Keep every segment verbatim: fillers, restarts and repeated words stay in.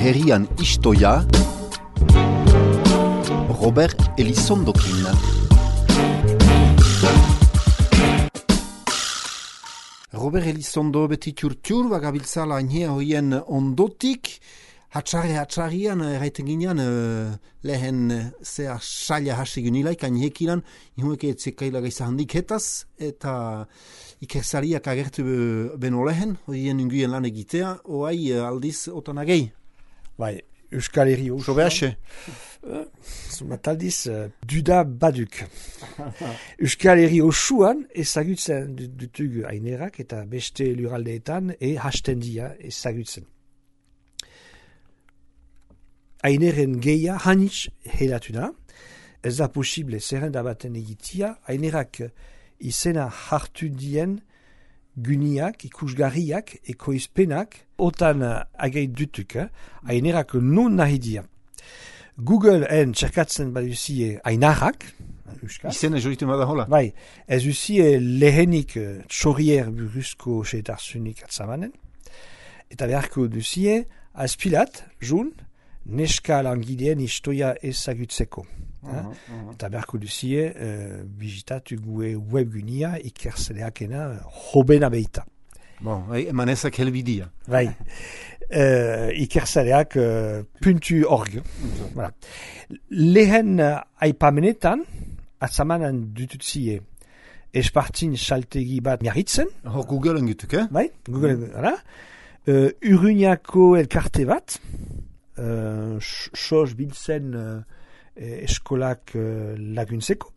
herrian istoia, Robert Elizondokin. Robert Elizondo beti txurtxur, bagabiltzala ainea hoien ondotik, hatxarri hatxarrian, erraiten ginean, uh, lehen zea saila hasi gynilaik, ainekinan, ihueke etzekaila gaisa handik hetaz, eta ikersariak agertu beno lehen, hoien unguien lan egitea, oai aldiz otanagei. Bai, Euskal Herri osoan. Sobeaxe. Zumat aldiz, duda baduk. Euskal Herri osoan ezagutzen dutugu ainerak eta beste luraldeetan e hasten dia ezagutzen. Aineren geia hanitz helatuna, ez da posible zerrenda baten egitia, ainerak izena hartu dien guniak, ikusgarriak, ekoizpenak, otan agait dutuk, eh? Ainerak non nahi dia. Google-en txerkatzen baduzie ainarrak, Euskal. Izena joritu bada hola. Bai, ez uzie lehenik txorier buruzko seetarzunik atzamanen, eta beharko duzie azpilat, jun, neska langileen istoia ezagutzeko. Uh-huh, uh-huh. Eta beharko duzie uh, bizitatu gue webgunia ikerseleakena hobena beita. Bon, emanezak helbidia. Bai, uh, ikerseleak uh, puntu org. Uh-huh. Voilà. Lehen uh, aipamenetan, atzamanan dututzie espartin saltegi bat miarritzen. Hor Google-en gutuk, eh? Bai, Google-en, voilà. Uh, Urruñako elkarte bat, uh, sos biltzen uh, eskolak uh, laguntzeko.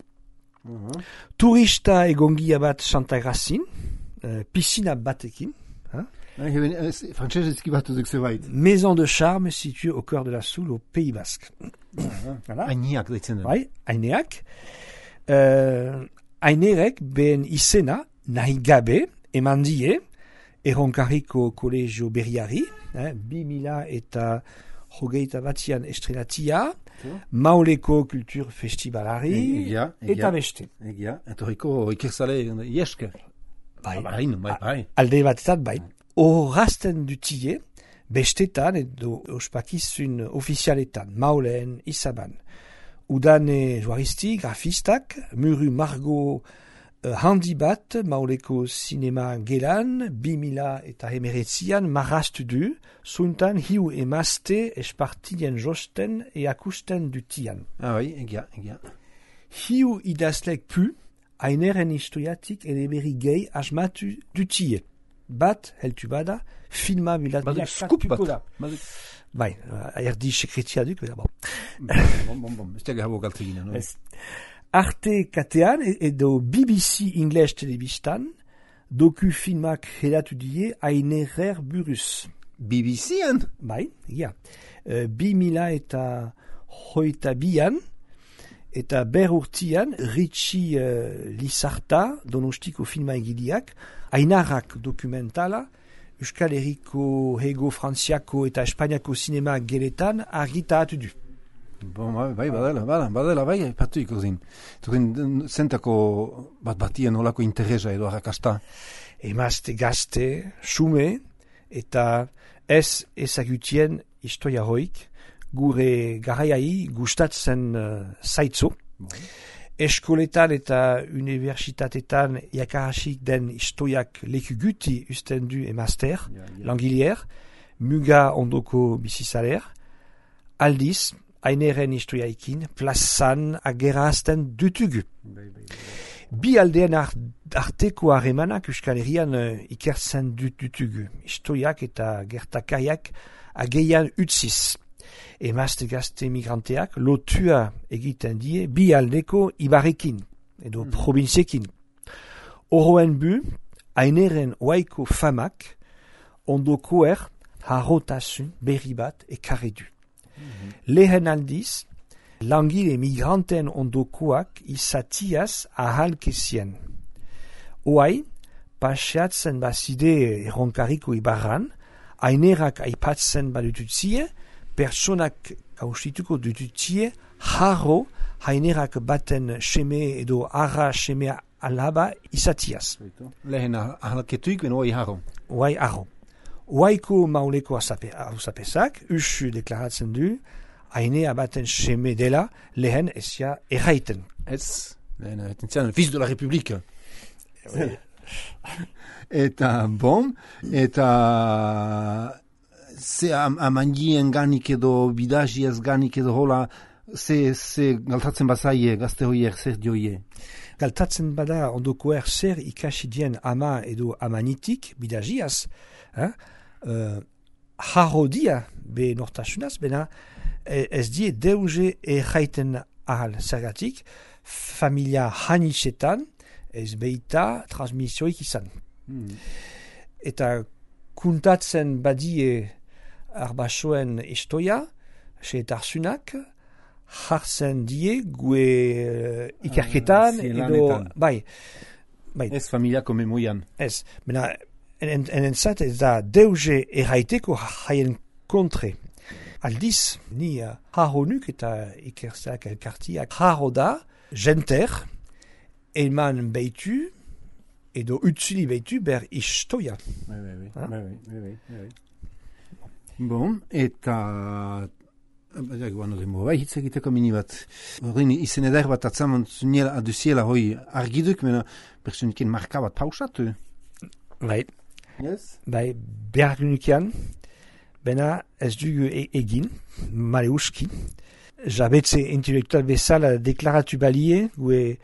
Uh-huh. Turista egongia bat Santa Grazin, uh, piscina batekin. Hein? Frantsesezki bat duzuk zebait. Maison de charme située au cœur de la Soule, au Pays Basque. Uh-huh. Voilà. Aineak deitzen den. Bai, aineak. Uh, ainerek behen izena nahi gabe eman die Erronkarriko kolegio berriari, eh, bi mila eta hogeita batian estrenatia, Mauleko kultur festivalari, egia, egia, eta beste. Egia, etorriko ikerzale iesker. Bai, bai, bai, bai. Alde batetan, bai. Horrazten dutie, bestetan edo ospakizun ofizialetan, Maulen, Izaban. Udane joaristi, grafistak, muru margo uh, handi bat, Mauleko sinema gelan, bi mila eta hemeretzian marrastu du, zuntan hiu emazte espartien josten e akusten dutian. Ah, bai, egia, egia. Hiu idazlek pu, aineren historiatik eleberri gehi asmatu dutie. Bat, heltu bada, filma bilat Baduk skup bat. Bai, erdi sekretia duk, bera, bon. Bon, bon, bon, ez tega habo galteginen, no? Arte katean edo B B C English telebistan, doku filmak helatu die ainerer buruz. B B C-an? Bai, ja. Uh, bi mila eta hoita bian, eta ber urtian, Ritxi uh, Lizarta, donostiko filma egidiak, ainarrak dokumentala, Euskal Herriko, Hego, Frantziako eta Espainiako sinema geletan argitatu du. Bon, bai, bai, badela, badela, badela, bai, patu ikusin. Turin, zentako bat batien olako interesa edo arrakasta. Emazte gazte, xume, eta ez ezagutien historia hoik, gure garaiai gustatzen uh, zaitzo. Bai. Eskoletan eta universitatetan jakarasik den historiak leku guti usten du emazter, ja, ja. Langilier, muga ondoko bizizaler, aldiz, aineren historiaikin, plazan agerazten dutugu. Bai, bai, bai. Bi aldean arteko harremanak Euskal Herrian uh, ikertzen dutugu. Historiak eta gertakariak ageian utziz. Emazte gazte migranteak lotua egiten die bi aldeko ibarekin, edo mm. provinziekin. Oroen bu, aineren oaiko famak, ondokoer harrotasun berri bat ekarri du. Mm-hmm. Lehen aldiz, langile migranten ondokoak izatiaz ahalkezien. Oai, paseatzen bazide erronkariko ibarran, ainerak aipatzen badututzie, personak haustituko dututie harro hainerak baten seme edo arra seme alaba izatiaz. Lehen ahalketuik ben oai harro. Oai harro. Waiko mauleko hausapezak, usu deklaratzen du, hainea baten seme dela, lehen ezia erraiten. Ez, lehen erraiten zian, fils de la République. Oui. Eta, bon, eta ze am, amandien ganik edo bidajiaz ganik edo hola, ze, ze galtatzen bazaie, gazte hoier, zer dioie? Galtatzen bada ondokoer zer ikasi dien ama edo amanitik, bidajiaz, eh? uh, harrodia be nortasunaz, bena ez die deuze erraiten ahal zergatik, familia hanitzetan, ez beita transmisioik izan. Hmm. Eta kuntatzen badie arbasoen istoia, seetarsunak, jartzen die gue uh, ikerketan, ah, edo, bai, bai. Ez familiako memoian. Ez, mena, en, en entzat ez da deuze erraiteko haien kontre. Aldiz, ni uh, harronuk eta ikerzeak elkartiak harro da, jenter, eman behitu, edo utzili behitu ber istoia. Oui, oui, oui. Ah? Oui, oui, oui, oui. Bon, eta bai hitz egiteko mini bat. Horrein izen eder bat atzaman zuniela aduziela hoi argiduk, mena personiken marka bat pausatu. Bai. Yes? Bai, behargunukian, bena ez dugu e egin, male uski. Jabetze intelektual bezala deklaratu balie, gue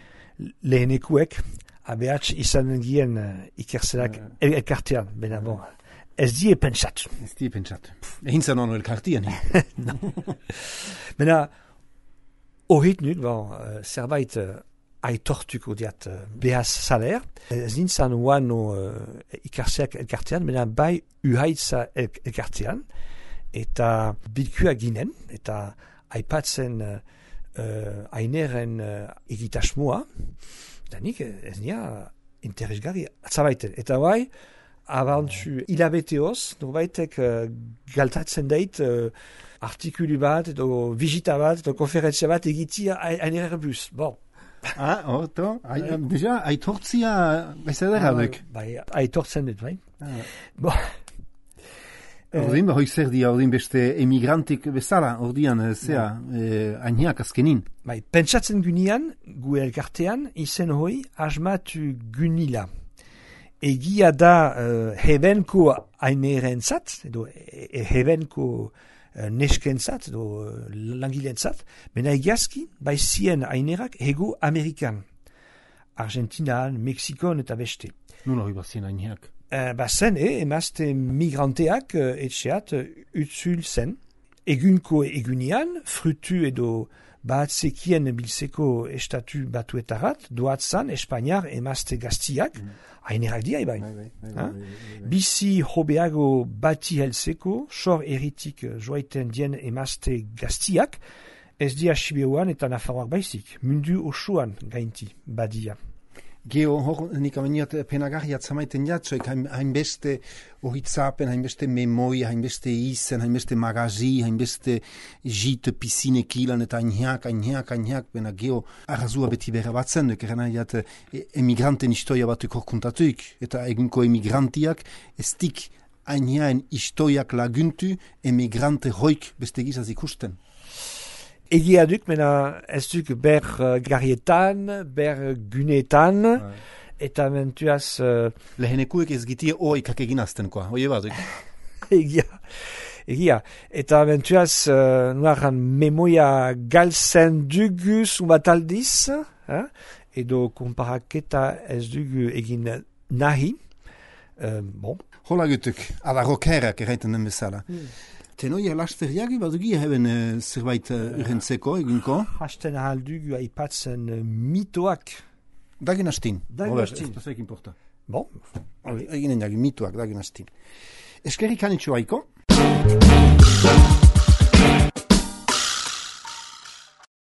lehenekuek, abehatz izan gien uh, ikerzelak uh, elkartean, bena bon. Ez die pentsat. Ez die pentsat. Egin zan honu elkartian. No. Bena, horret nuk, bon, uh, zerbait uh, aitortuko diat uh, behaz saler. Ez nintzen oan no, uh, ikerzeak elkartean, bena bai uhaitza el elkartean, eta bilkua ginen, eta aipatzen uh, uh, aineren uh, egitasmoa, eta nik ez nia interesgarri atzabaiten. Eta bai, abantzu hilabeteoz, norbaitek uh, galtatzen dait uh, artikulu bat, edo visita bat, edo konferentzia bat egitia aineren bus. Bon. Ah, orto, deja, aitortzia bezadera duk. Bai, aitortzen dut, bai. Ah. Bon. Ordin, hoi zer dia, ordin beste emigrantik bezala, ordian, zea, eh, ainiak azkenin. Bai, pentsatzen gunean, gu elkartean, izen hoi, asmatu gunila. Egia da uh, hebenko ainerentzat, edo e, hebenko uh, neskentzat, edo uh, langilentzat, bena egiazki, bai zien ainerak hego Amerikan. Argentinan, Mexikon eta beste. Nola hoi bazien aineak? Uh, bazen, eh, emazte migranteak uh, etxeat uh, utzul zen. Egunko egunian, frutu edo batzekien biltzeko estatu batuetarat, doatzan Espainiar emazte gaztiak, mm. hainerak dia ebain. Bizi hobeago bati helzeko, sor eritik joaiten dien emazte gaztiak, ez dia Sibeuan eta Nafarroak baizik, mundu osoan gainti badia. Geo, hor, nik ameniat penagarriat zamaiten jatzoek, hainbeste ohitzapen, hainbeste memoi, hainbeste izen, hainbeste magazi, hainbeste jit, pisine kilan, eta hainheak, hainheak, hainheak, bena geo, arrazua beti berra batzen, duk eran haiat emigranten istoia batuk horkuntatuik, eta egunko emigrantiak, ez dik hainheaen istoiak laguntu, emigrante hoik beste gizaz ikusten. Egia duk, mena ez duk ber uh, garrietan, ber gunetan, ouais. Eta mentuaz... Uh, Lehenekuek ez gitie oikak eginazten, koa, oie baduk. Egia, egia. Eta mentuaz, uh, nuaran memoia galtzen dugu zumat aldiz, eh? Edo komparaketa ez dugu egin nahi. Uh, bon. Hola gutuk, ala rokerak erraiten den bezala. Hmm. Tenoia lasteriagi badugi haben uh, zerbait uh, urrentzeko egunko? Hasten ahal dugu aipatzen uh, mitoak. Dagin hastin. Dagin hastin. Ez da importa. Bon. Eginen jagi mitoak, dagin hastin. Eskerrik anitxo haiko.